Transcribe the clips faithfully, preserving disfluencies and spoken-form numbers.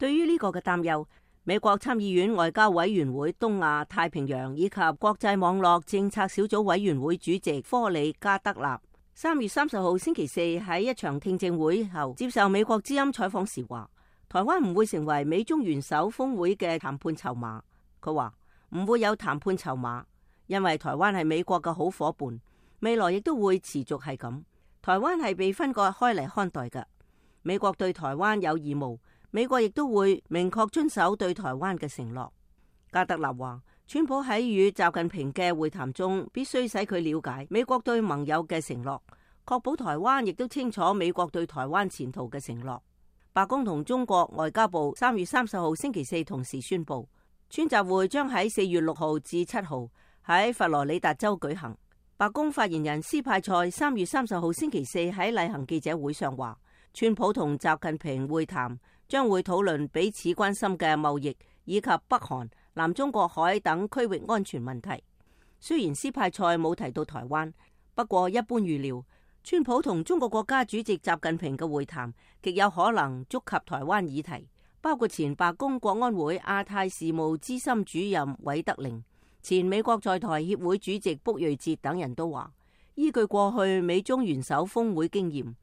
對於呢個嘅擔憂，美國參議院外交委員會東亞太平洋以及國際網絡政策小組委員會主席科里加德納三月三十號星期四喺一場聽證會後接受美國之音採訪時話，台灣唔會成為美中元首峰會嘅談判籌碼。佢話唔會有談判籌碼，因為台灣係美國嘅好夥伴，未來亦都會持續係咁。台灣係被分割開嚟看待嘅，美國對台灣有義務，美國亦都會明確遵守對台灣嘅承諾。加德納話，川普喺與習近平嘅會談中，必須使佢了解美國對盟友嘅承諾，確保台灣亦都清楚美國對台灣前途嘅承諾。白宮同中國外交部三月三十號星期四同時宣布，川習會將喺四月六號至七號喺佛羅里達州舉行。白宮發言人斯派塞三月三十號星期四喺例行記者會上話，川普同習近平會談將會討論彼此關心嘅貿易以及北韓、南中國海等區域安全問題。雖然斯派塞冇提到台灣，不過一般預料，川普同中國國家主席習近平嘅會談極有可能觸及台灣議題，包括前白宮國安會亞太事務資深主任韋德寧、前美國在台協會主席卜瑞哲等人都話，依據過去美中元首峰會經驗，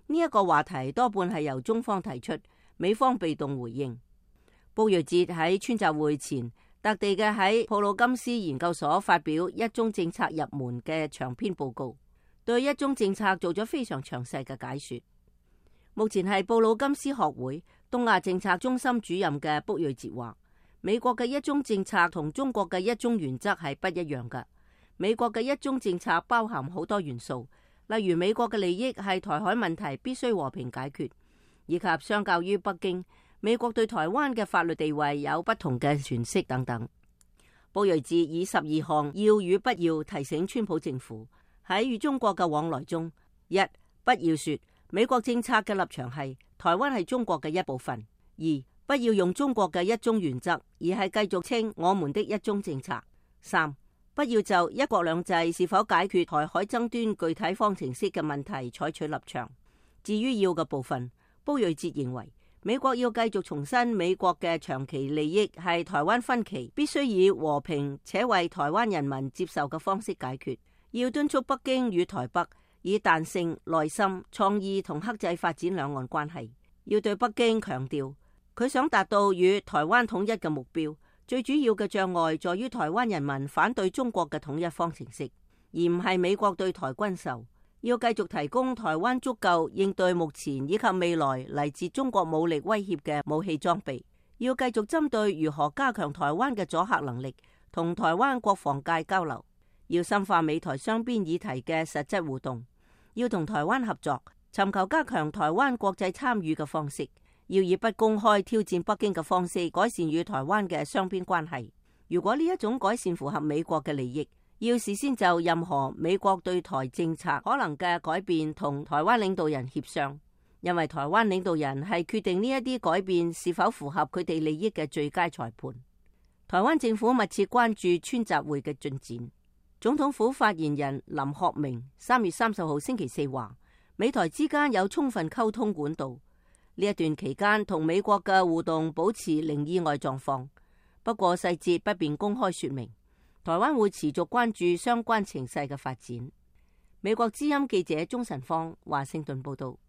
呢一個話題多半係由中方提出，美方被動回應。卜瑞哲喺川習會前特地嘅喺普魯金斯研究所發表一中政策入門嘅長篇報告，對一中政策做咗非常詳細嘅解說。目前係布魯金斯學會東亞政策中心主任嘅卜瑞哲話，美國嘅一中政策同中國嘅一中原則係不一樣嘅。美國嘅一中政策包含好多元素，例如美國嘅利益係台海問題必須和平解決，以及相較於北京，美國對台灣嘅法律地位有不同嘅詮釋等等。卜瑞哲以十二項要與不要提醒川普政府喺與中國嘅往來中：一、不要說美國政策嘅立場係台灣係中國嘅一部分；二、不要用中國嘅一中原則，而係繼續稱我們的一中政策；三、不要就一國兩制是否解決台海爭端具體方程式嘅問題採取立場。至於要嘅部分，卜瑞哲認為美國要繼續重申美國嘅長期利益係台灣分歧必須以和平且為台灣人民接受嘅方式解決，要敦促北京與台北以彈性、耐心、創意同克制發展兩岸關係，要對北京強調佢想達到與台灣統一嘅目標，最主要嘅障礙在於台灣人民反對中國嘅統一方程式，而唔係美國對台軍售。要繼續提供台灣足夠應對目前以及未來嚟自中國武力威脅嘅武器裝備，要繼續針對如何加強台灣嘅阻嚇能力，同台灣國防界交流，要深化美台雙邊議題嘅實質互動，要同台灣合作，尋求加強台灣國際參與嘅方式，要以不公開挑戰北京嘅方式改善與台灣嘅雙邊關係。如果呢一種改善符合美國嘅利益，要事先就任何美國對台政策可能嘅改變同台灣領導人協商，因為台灣領導人係決定呢一啲改變是否符合佢哋利益嘅最佳裁判。台灣政府密切關注川習會嘅進展。總統府發言人林學明三月三十號星期四話，美台之間有充分溝通管道，呢一段期間同美國嘅互動保持零意外狀況，不過細節不便公開說明。台灣會持續關注相關情勢嘅發展。美國之音記者鍾晨芳華盛頓報道。